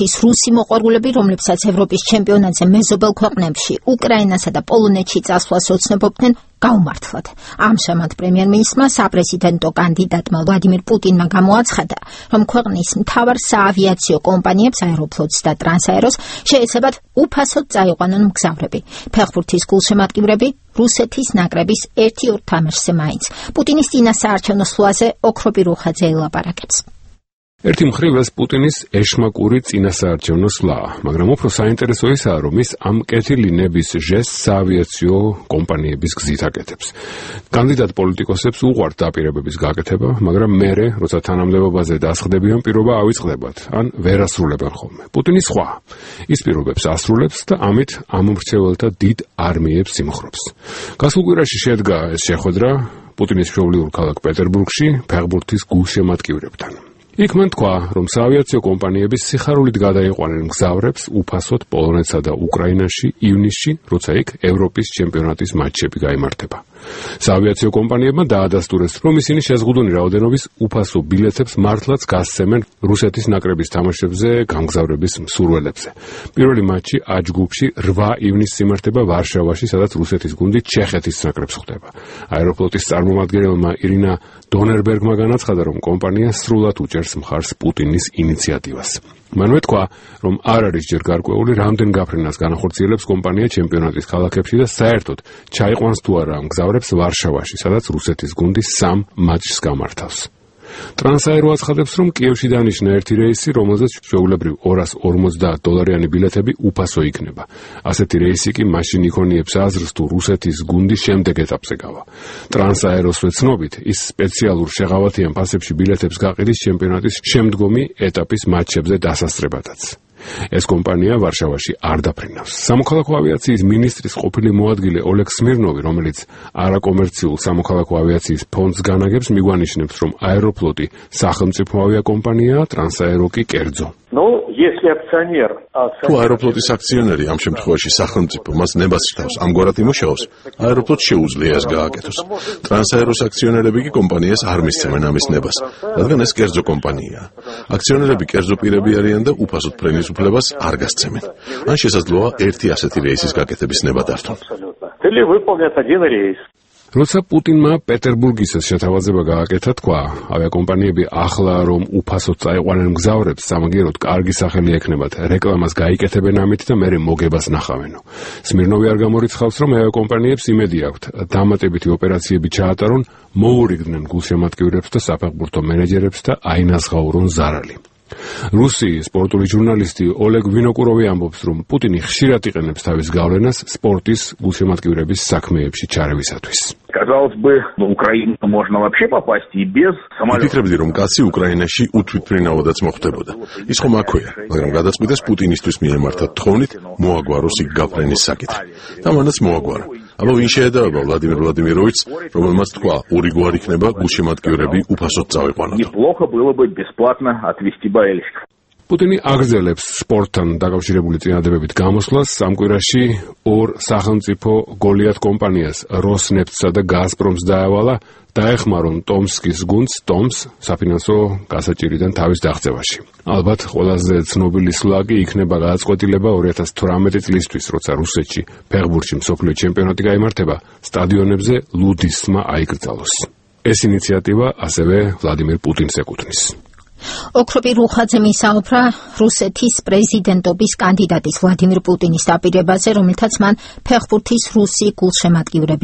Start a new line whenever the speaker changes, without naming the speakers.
ფეხბურთის რუსი მოყვარულები, რომლებსაც ევროპის ჩემპიონატზე მეზობელ ქვეყნებში, უკრაინასა და პოლონეთში წასვლას ოცნებობდნენ, გაუმართლად. ამჟამად პრემიერ-მინისტრმა საპრეზიდენტო კანდიდატმა ვლადიმირ პუტინმა გამოაცხადა, რომ ქვეყნის მთავარ საავიაციო კომპანიებს აეროფლოტს და ტრანსაეროს შეეცებათ უფასოდ წაიყვანონ მგზავრები. ფეხბურთის გულშემატკივრები რუსეთის ნაკრების 1-2 თამაშზე მაინც. პუტინის წინასაარჩევნო სვლაზე ოქროპი რუხაძე ელაპარაკებს.
ერთი მხრივ ეს პუტინის ეშმაკური წინასაარჩევნო სვლაა, მაგრამ უფრო საინტერესო ისაა, რომ ის ამ კეთილინების ჟესტს საავიაციო კომპანიების გზით აკეთებს. კანდიდატ პოლიტიკოსებს უყვართ დაპირებების გაკეთება, მაგრამ მერე, როცა თანამდებობაზე დასხდებიან, პირობა ავიწყდებათ, ან ვერ ასრულებენ ხოლმე. პუტინი სხვა. ის პირობებს ასრულებს და ამით ამომრჩეველთა დიდ არმიებს იმხრობს. გასულ კვირაში შედგა ეს შეხვედრა პუტინის მშობლიურ ქალაქ პეტერბურგში ფეხბურთის გულშემატკივრებთან. იქ მან თქვა, რომ საავიაციო კომპანიები სიხარულით გადაიყვანენ მგზავრებს უფასოდ პოლონეთსა და უკრაინაში ივნისში, როცა იქ ევროპის ჩემპიონატის მატჩები გაიმართება. საავიაციო კომპანიებმა დაადასტურეს, რომ ისინი შეზღუდული რაოდენობის უფასო ბილეთებს მართლაც გასცემენ რუსეთის ნაკრების თამაშებზე გამგზავრების მსურველებზე. პირველი მატჩი A ჯგუფში 8 ივნისს იმართება ვარშავაში, სადაც რუსეთის გუნდი ჩეხეთის ნაკრებს ხვდება. აეროფლოტის წარმომადგენელმა ირინა დონერბერგმა განაცხადა, რომ კომპანია სრულად უჭერს მხარს პუტინის ინიციატივას. მანვე თქვა, რომ არ არის ჯერ გარკვეული, რამდენ გაფრენას განახორციელებს კომპანია ჩემპიონატის ქალაქებში და საერთოდ ჩაიყვანს თუ არა მგზავრებს ვარშავაში, სადაც რუსეთის გუნდი 3 მატჩს გამართავს. ტრანსაერო აცხადებს, რომ კიევში დანიშნა ერთი რეისი, რომელზეც ჩვეულებრივ $250 ბილეთები უფასო იქნება. ასეთი რეისი კი მაშინ იქონიებს აზრს, თუ რუსეთის გუნდი შემდეგ ეტაპზე გავა. ტრანსაეროსვე ცნობით, ის სპეციალურ შეღავათიან ფასებში ბილეთებს გაყიდის ჩემპიონატის შემდგომი ეტაპის მატჩებზე დასასწრებადაც. ეს კომპანია ვარშავაში არ დაფრინავს. სამოქალაქო ავიაციის მინისტრის ყოფილი მოადგილე ოლეგ სმირნოვი, რომელიც არაკომერციულ სამოქალაქო ავიაციის ფონდს განაგებს, მიგვანიშნებს, რომ აეროფლოტი სახელმწიფო ავიაკომპანიაა, ტრანსაერო კი კერძო.
თუ აეროფლოტის აქციონერი ამ შემთხვევაში სახელმწიფო მას ნებას ჭრავს, ამგვარად იმუშაობს, აეროფლოტს შეუძლია ეს გააკეთოს. ტრანსაეროს აქციონერები კი კომპანიას არ მისცემენ ამის ნებას, რადგან ეს კერძო კომპანიაა. აქციონერები კერძო პირები არიან და უფასოდ პრემიის უფლებას არ გასცემენ. ან შესაძლოა ერთი ასეთი რეისის გაკეთების ნება დართონ.
როცა პუტინმა პეტერბურგის შეთავაზება გააკეთა, თქვა, ავიაკომპანიები ახლა რომ უფასოდ წაიყვანენ მგზავრებს, სამაგიეროდ კარგი სახელი ექნებათ, რეკლამას გაიკეთებენ ამით და მერე მოგებას ნახავენო. სმირნოვი არ გამორიცხავს, რომ ავიაკომპანიებს იმედი აქვთ, დამატებითი ოპერაციები ჩაატარონ, მოურიგდნენ გულშემატკივრებს და საფეხბურთო მენეჯერებს და აინაზღაურონ ზარალი. რუსი სპორტული ჟურნალისტი ოლეგ ვინოკუროვი ამბობს, რომ პუტინი ხშირად იყენებს თავის გავლენას სპორტის გულშემატკივრების საქმეებში ჩარევისათვის.
ვფიქრებდი, რომ კაცი უკრაინაში უთვითმფრინავადაც მოხვდებოდა. ის ხომ აქვეა, მაგრამ გადაწყვიტეს პუტინისთვის მიემართა თხოვნით მოაგვაროს იქ გაფრენის საკითხი. და მანაც მოაგვარა. აბა ვინ შეედავება ვლადიმირ ვლადიმიროვიჩს, რომელმაც თქვა, ორიგوار იქნება გულშემატკივრები უფასოდ წავიყვანოთ. პუტინი აგრძელებს სპორტთან დაკავშირებული წინადებებით გამოსვლას. ამ კვირაში 2 სახელმწიფო გოლიათ კომპანიას, როსნეფტსა და გაზპრომს დაევალა დაეხმარონ ტომსკის გუნდს, ტომს საფინანსო გასაჭირიდან თავის დაღწევაში. ალბათ ყველაზე ცნობილი სვლა კი იქნება გადაწყვეტილება 2018 წლისთვის, როცა რუსეთში ფეხბურთში მსოფლიო ჩემპიონატი გაიმართება, სტადიონებზე ლუდისმა აიკრძალოს. ეს ინიციატივა ასევე ვლადიმირ პუტინს ეკუთვნის.
ოქროპი რუხაძემ ისაუბრა რუსეთის პრეზიდენტობის კანდიდატის ვლადიმირ პუტინის დაპირებაზე, რომელთაც მან ფეხბურთის რუსი გულშემატკივრები